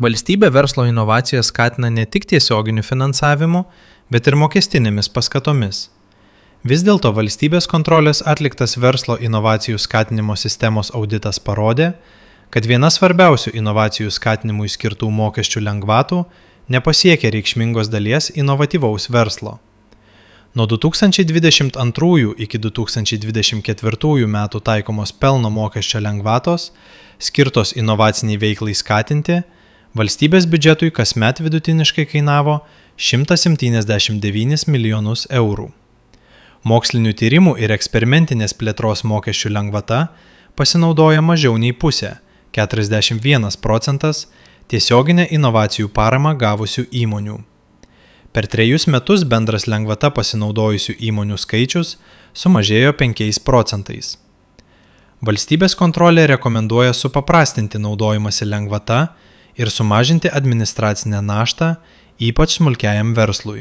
Valstybė verslo inovacijas skatina ne tik tiesioginiu finansavimu, bet ir mokestinėmis paskatomis. Vis dėlto valstybės kontrolės atliktas verslo inovacijų skatinimo sistemos auditas parodė, kad viena svarbiausių inovacijų skatinimui skirtų mokesčių lengvatų nepasiekė reikšmingos dalies inovatyvaus verslo. Nuo 2022 iki 2024 metų taikomos pelno mokesčio lengvatos, skirtos inovaciniai veiklai skatinti, valstybės biudžetui kasmet vidutiniškai kainavo 179 milijonus eurų. Mokslinių tyrimų ir eksperimentinės plėtros mokesčių lengvata pasinaudoja mažiau nei pusė, 41%, tiesioginę inovacijų paramą gavusių įmonių. Per 3 metus bendras lengvata pasinaudojusių įmonių skaičius sumažėjo 5%. Valstybės kontrolė rekomenduoja supaprastinti naudojimąsi lengvata ir sumažinti administracinę naštą, ypač smulkiajam verslui.